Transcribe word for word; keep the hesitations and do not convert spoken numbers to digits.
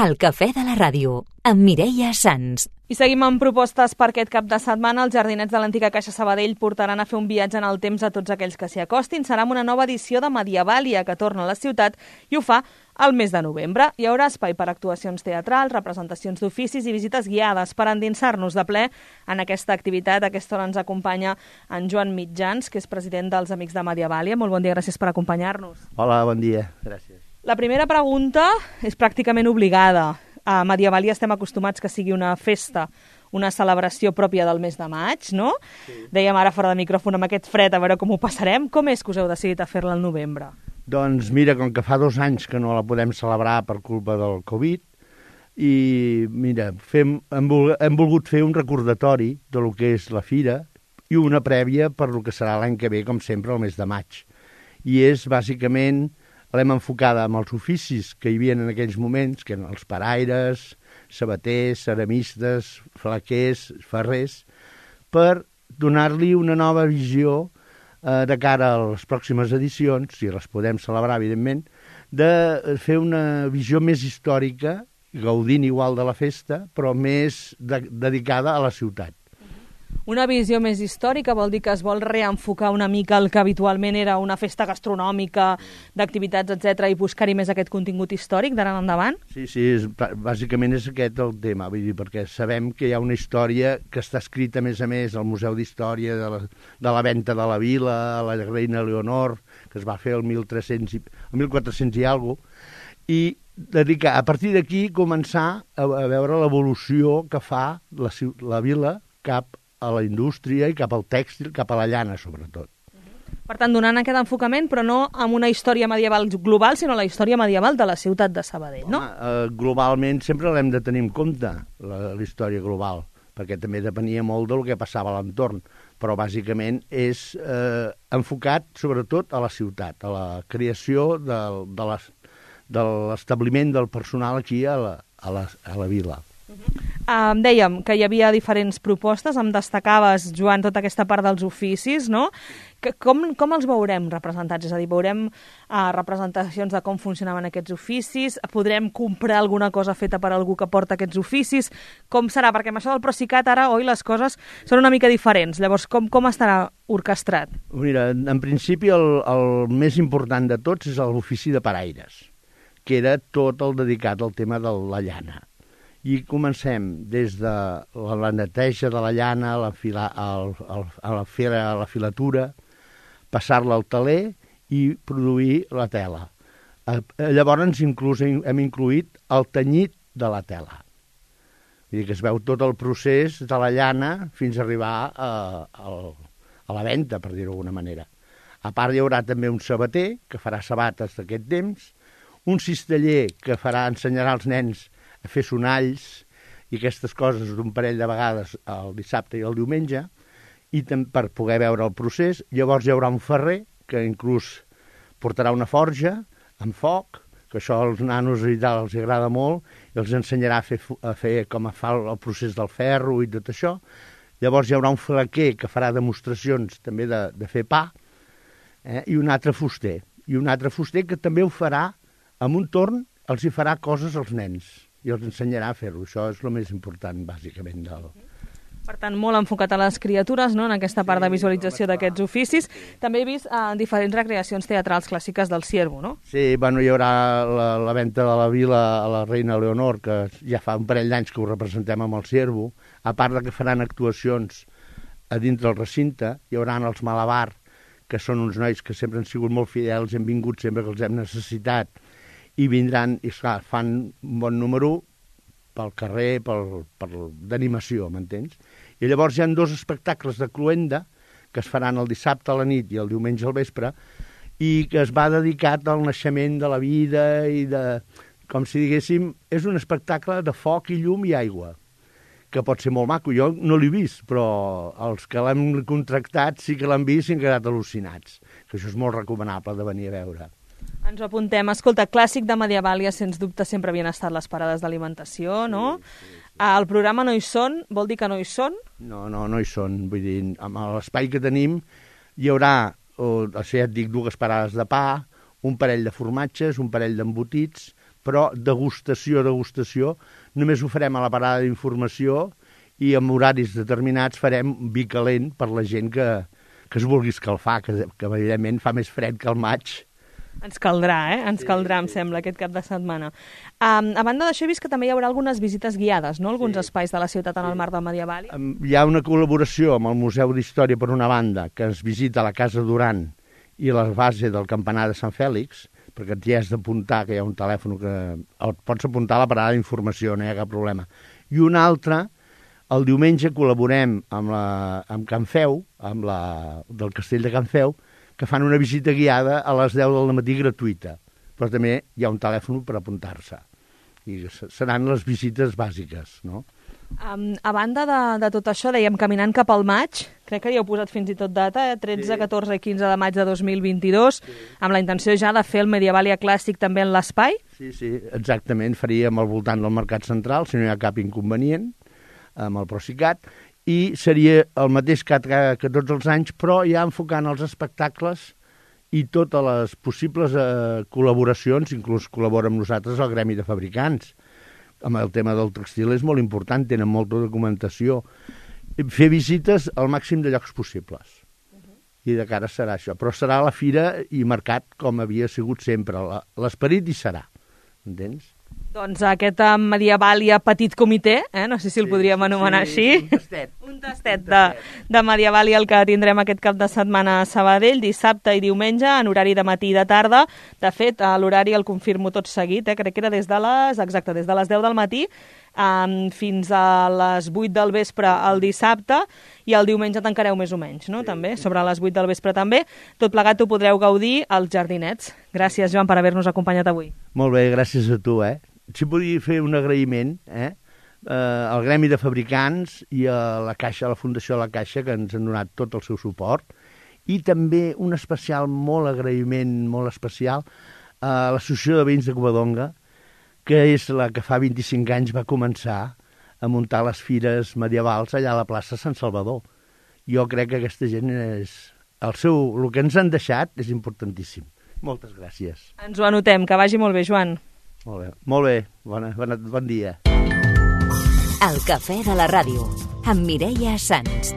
El cafè de la ràdio, amb Mireia Sans. I seguim amb propostes per aquest cap de setmana. Els jardinets de l'antiga Caixa Sabadell portaran a fer un viatge en el temps a tots aquells que s'hi acostin. Serà una nova edició de Medievàlia que torna a la ciutat i ho fa al mes de novembre. Hi haurà espai per actuacions teatrals, representacions d'oficis i visites guiades per endinsar-nos de ple en aquesta activitat. A aquesta hora ens acompanya en Joan Mitjans, que és president dels Amics de Medievàlia. Molt bon dia, gràcies per acompanyar-nos. Hola, bon dia, gràcies. La primera pregunta és pràcticament obligada. A Medievàlia estem acostumats que sigui una festa, una celebració pròpia del mes de maig, no? Sí. Dèiem ara fora de micròfon amb aquest fred, a veure com ho passarem. Com és que us heu decidit a fer-la al novembre? Doncs mira, com que fa dos anys que no la podem celebrar per culpa del Covid, i mira, fem, hem, vol, hem volgut fer un recordatori de lo que és la fira i una prèvia per lo que serà l'any que ve, com sempre, el mes de maig. I és, bàsicament, l'hem enfocada amb els oficis que hi havia en aquells moments, que eren els paraires, sabaters, ceramistes, flaquers, ferrers, per donar-li una nova visió eh, de cara a les pròximes edicions, si les podem celebrar, evidentment, de fer una visió més històrica, gaudint igual de la festa, però més de, dedicada a la ciutat. Una visió més històrica vol dir que es vol reenfocar una mica el que habitualment era una festa gastronòmica, d'activitats, etcètera, i buscar-hi més aquest contingut històric d'ara en endavant? Sí, sí, és, bàsicament és aquest el tema, vull dir, perquè sabem que hi ha una història que està escrita, a més a més, al Museu d'Història de la, de la venta de la vila, a la reina Leonor, que es va fer el mil tres-cents i, el mil quatre-cents i alguna cosa, i dedicar, a partir d'aquí, començar a, a veure l'evolució que fa la, la vila cap a la indústria i cap al tèxtil, cap a la llana, sobretot. Per tant, donant aquest enfocament, però no amb una història medieval global, sinó la història medieval de la ciutat de Sabadell, no? Home, eh, globalment sempre l'hem de tenir en compte, la, la història global, perquè també depenia molt del que passava a l'entorn, però bàsicament és eh, enfocat sobretot a la ciutat, a la creació de, de, les, de l'establiment del personal aquí a la, a la, a la vila. Um, dèiem que hi havia diferents propostes, em destacaves, Joan, tota aquesta part dels oficis, no? Que, com, com els veurem representats? És a dir, veurem uh, representacions de com funcionaven aquests oficis, podrem comprar alguna cosa feta per algú que porta aquests oficis, com serà? Perquè amb això del Procicat ara, oi, les coses són una mica diferents, llavors com, com estarà orquestrat? Mira, en principi el, el més important de tots és l'ofici de paraires, que era tot el dedicat al tema de la llana. I comencem des de la neteja de la llana, la fila, el, el, a la fera, a la filatura, passar-la al teler i produir la tela. Llavors inclús hem incluït el tenyit de la tela. Vull dir que es veu tot el procés de la llana fins a arribar a, a, a la venda, per dir-ho d'alguna manera. A part hi haurà també un sabater que farà sabates d'aquest temps, un cisteller que farà ensenyarà als nens a fer sonalls i aquestes coses d'un parell de vegades el dissabte i el diumenge, i per poder veure el procés. Llavors hi haurà un ferrer que inclús portarà una forja amb foc, que això als nanos i tal els agrada molt, i els ensenyarà a fer, a fer com a fa el procés del ferro i tot això. Llavors hi haurà un flaquer que farà demostracions també de, de fer pa, eh? I un altre fuster. I un altre fuster que també ho farà amb un torn, els hi farà coses als nens i els ensenyarà a fer-ho. Això és el més important, bàsicament. Del... Per tant, molt enfocat a les criatures, no?, en aquesta part de visualització d'aquests oficis. També he vist eh, diferents recreacions teatrals clàssiques del Ciervo, no? Sí, bueno, hi haurà la, la venta de la vila a la reina Leonor, que ja fa un parell d'anys que ho representem amb el Ciervo. A part de que faran actuacions a dintre del recinte, hi haurà els Malabar, que són uns nois que sempre han sigut molt fidels, hem vingut sempre que els hem necessitat, i vindran, i esclar, fan un bon número pel carrer, pel, pel, d'animació, m'entens? I llavors hi ha dos espectacles de cloenda que es faran el dissabte a la nit i el diumenge al vespre i que es va dedicat al naixement de la vida i de, com si diguéssim, és un espectacle de foc i llum i aigua, que pot ser molt maco. Jo no l'he vist, però els que l'hem contractat sí que l'han vist i han quedat al·lucinats, que això és molt recomanable de venir a veure. Ens ho apuntem. Escolta, clàssic de Medievàlia, sens dubte, sempre havien estat les parades d'alimentació, no? Sí, sí, sí. El programa no hi són, vol dir que no hi són? No, no, no hi són. Vull dir, amb l'espai que tenim hi haurà, o, o sigui, ja et dic, dues parades de pa, un parell de formatges, un parell d'embotits, però degustació, degustació, només ho farem a la parada d'informació i amb horaris determinats farem vi calent per la gent que, que es vulgui escalfar, que, que evidentment fa més fred que el maig. Ens caldrà, eh? Ens caldrà, em sembla, aquest cap de setmana. Um, a banda d'això, he vist que també hi haurà algunes visites guiades, no? Alguns sí. espais de la ciutat en el marc del Medieval. Hi ha una col·laboració amb el Museu d'Història, per una banda, que ens visita la Casa Duran i la base del campanar de Sant Fèlix, perquè t'hi has d'apuntar, que hi ha un telèfon que el pots apuntar a la parada d'informació, no hi ha cap problema. I un altre, el diumenge col·laborem amb, la, amb Can Feu, amb la, del Castell de Can Feu, que fan una visita guiada a les deu del matí gratuïta, però també hi ha un telèfon per apuntar-se. I seran les visites bàsiques, no? Um, a banda de, de tot això, dèiem caminant cap al maig, crec que hi heu posat fins i tot data, eh? tretze, sí. catorze i quinze de maig de dos mil vint-i-dos, sí. amb la intenció ja de fer el Medievalia Clàssic també en l'espai? Sí, sí, exactament, faríem al voltant del Mercat Central, si no hi ha cap inconvenient, amb el Procicat, i seria el mateix que, que tots els anys, però ja enfocant els espectacles i totes les possibles eh, col·laboracions, inclús col·labora amb nosaltres el Gremi de Fabricants. Amb el tema del textil és molt important, tenen molta documentació. Fer visites al màxim de llocs possibles. Uh-huh. I de cara serà això. Però serà la fira i mercat com havia sigut sempre. L'esperit hi serà, entens? Doncs aquest Medievalia petit comitè, eh? no sé si el sí, podríem anomenar sí, així. Un tastet. Un tastet de, de Medievalia el que tindrem aquest cap de setmana a Sabadell, dissabte i diumenge, en horari de matí i de tarda. De fet, l'horari el confirmo tot seguit, eh? crec que era des de les, exacte, des de les deu del matí um, fins a les vuit del vespre el dissabte, i el diumenge tancareu més o menys, no? Sí. També, sobre les vuit del vespre també. Tot plegat ho podreu gaudir als Jardinets. Gràcies, Joan, per haver-nos acompanyat avui. Molt bé, gràcies a tu, eh? Si podia fer un agraïment eh, eh, al Gremi de Fabricants i a la Caixa, a la Fundació de la Caixa, que ens han donat tot el seu suport, i també un especial, molt agraïment, molt especial, a l'Associació de Veïns de Covadonga, que és la que fa vint-i-cinc anys va començar a muntar les fires medievals allà a la plaça Sant Salvador. Jo crec que aquesta gent és... El, seu, el que ens han deixat és importantíssim. Moltes gràcies. Ens ho anotem, que vagi molt bé, Joan. Molt bé, molt bé. Bona, bona, bon dia. El cafè de la ràdio, amb Mireia Sans.